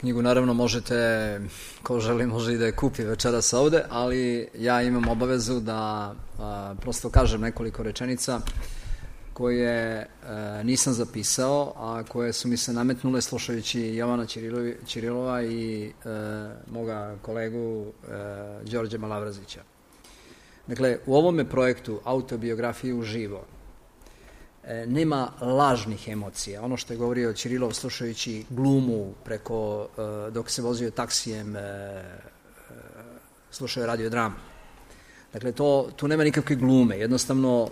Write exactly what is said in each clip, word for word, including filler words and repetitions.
Knjigu naravno možete, ko želi može i da je kupi večeras ovde, ali ja imam obavezu da a, prosto kažem nekoliko rečenica koje a, nisam zapisao, a koje su mi se nametnule slušajući Jovana Ćirilovi, Ćirilova i a, moga kolegu a, Đorđe Malavrazića. Dakle, u ovome projektu Autobiografije uživo nema lažnih emocija. Ono što je govorio Ćirilov slušajući glumu preko, dok se vozio taksijem, slušao radio dramu. Dakle, to, tu nema nikakve glume. Jednostavno,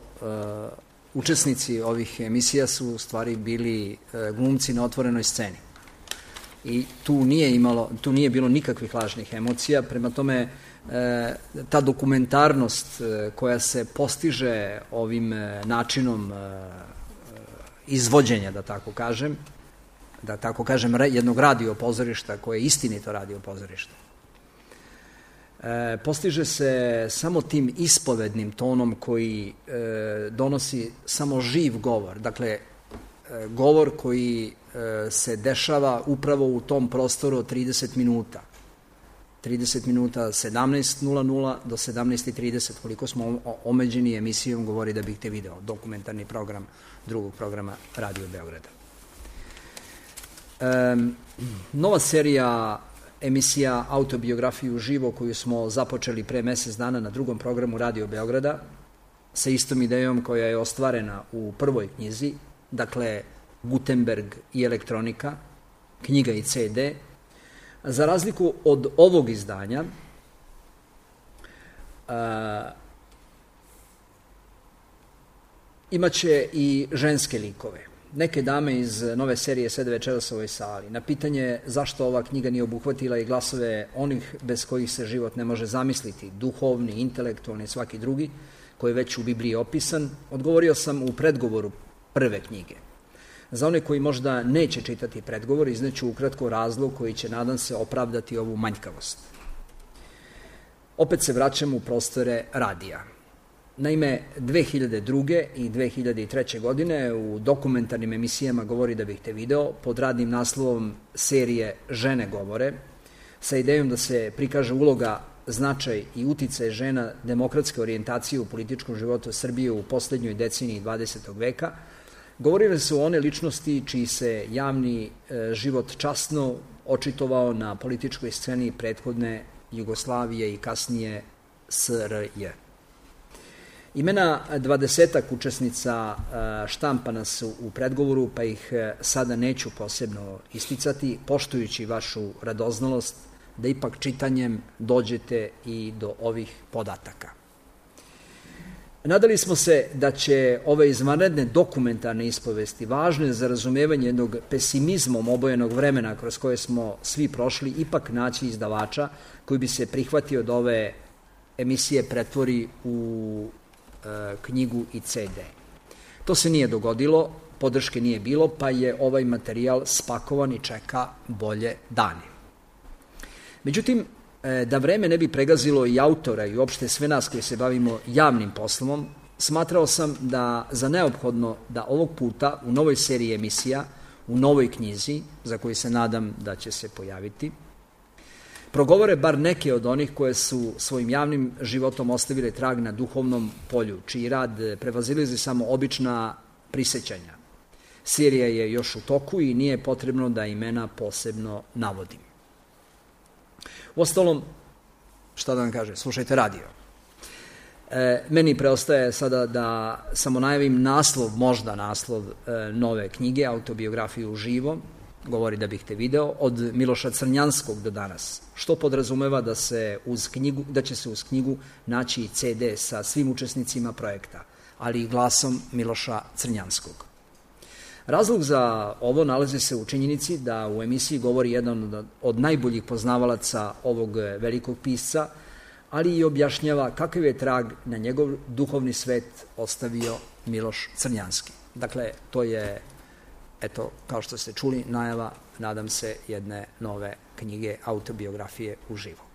učesnici ovih emisija su u stvari bili glumci na otvorenoj sceni. I tu nije imalo, tu nije bilo nikakvih lažnih emocija. Prema tome, ta dokumentarnost koja se postiže ovim načinom izvođenja, da tako kažem, da tako kažem, jednog radio pozorišta koje je istinito radio pozorište, postiže se samo tim ispovednim tonom koji donosi samo živ govor. Dakle, govor koji se dešava upravo u tom prostoru od trideset minuta. trideset minuta, sedamnaest nula nula do sedamnaest trideset, koliko smo omeđeni emisijom Govori da bih te video, dokumentarni program drugog programa Radio Beograda. E, nova serija emisija Autobiografiju uživo koju smo započeli pre mesec dana na drugom programu Radio Beograda sa istom idejom koja je ostvarena u prvoj knjizi, dakle Gutenberg i elektronika, knjiga i ce de. Za razliku od ovog izdanja, a, imaće i ženske likove. Neke dame iz nove serije sede večeras u ovoj sali. Na pitanje zašto ova knjiga nije obuhvatila i glasove onih bez kojih se život ne može zamisliti, duhovni, intelektualni, svaki drugi, koji je već u Bibliji opisan, odgovorio sam u predgovoru prve knjige. Za one koji možda neće čitati predgovor, izneću ukratko razlog koji će, nadam se, opravdati ovu manjkavost. Opet se vraćam u prostore radija. Naime, dve hiljade druge i dve hiljade treće. godine u dokumentarnim emisijama Govori da bih te video pod radnim naslovom serije Žene govore, sa idejom da se prikaže uloga, značaj i uticaj žena demokratske orijentacije u političkom životu Srbije u poslednjoj deceniji dvadesetog veka, govorile su one ličnosti čiji se javni e, život časno očitovao na političkoj sceni prethodne Jugoslavije i kasnije es er je. Imena dvadesetak učesnica e, štampana su u predgovoru, pa ih e, sada neću posebno isticati, poštujući vašu radoznalost da ipak čitanjem dođete i do ovih podataka. Nadali smo se da će ove izvanredne dokumentarne ispovesti, važne za razumevanje jednog pesimizmom obojenog vremena kroz koje smo svi prošli, ipak naći izdavača koji bi se prihvatio da ove emisije pretvori u e, knjigu i ce de. To se nije dogodilo, podrške nije bilo, pa je ovaj materijal spakovan i čeka bolje dane. Međutim, da vreme ne bi pregazilo i autora i uopšte sve nas koji se bavimo javnim poslom, smatrao sam da za neophodno da ovog puta u novoj seriji emisija, u novoj knjizi, za koju se nadam da će se pojaviti, progovore bar neke od onih koje su svojim javnim životom ostavile trag na duhovnom polju, čiji rad prevazilazi samo obična prisećanja. Serija je još u toku i nije potrebno da imena posebno navodim. Uostalom, šta da vam kaže, slušajte radio. E, meni preostaje sada da samo najavim naslov, možda naslov e, nove knjige, Autobiografiju uživo, Govori da bih te video, od Miloša Crnjanskog do danas, što podrazumeva da, se uz knjigu, da će se uz knjigu naći i ce de sa svim učesnicima projekta, ali i glasom Miloša Crnjanskog. Razlog za ovo nalazi se u činjenici da u emisiji govori jedan od najboljih poznavalaca ovog velikog pisca, ali i objašnjava kakav je trag na njegov duhovni svet ostavio Miloš Crnjanski. Dakle, to je, eto, kao što ste čuli, najava, nadam se, jedne nove knjige Autobiografije uživo.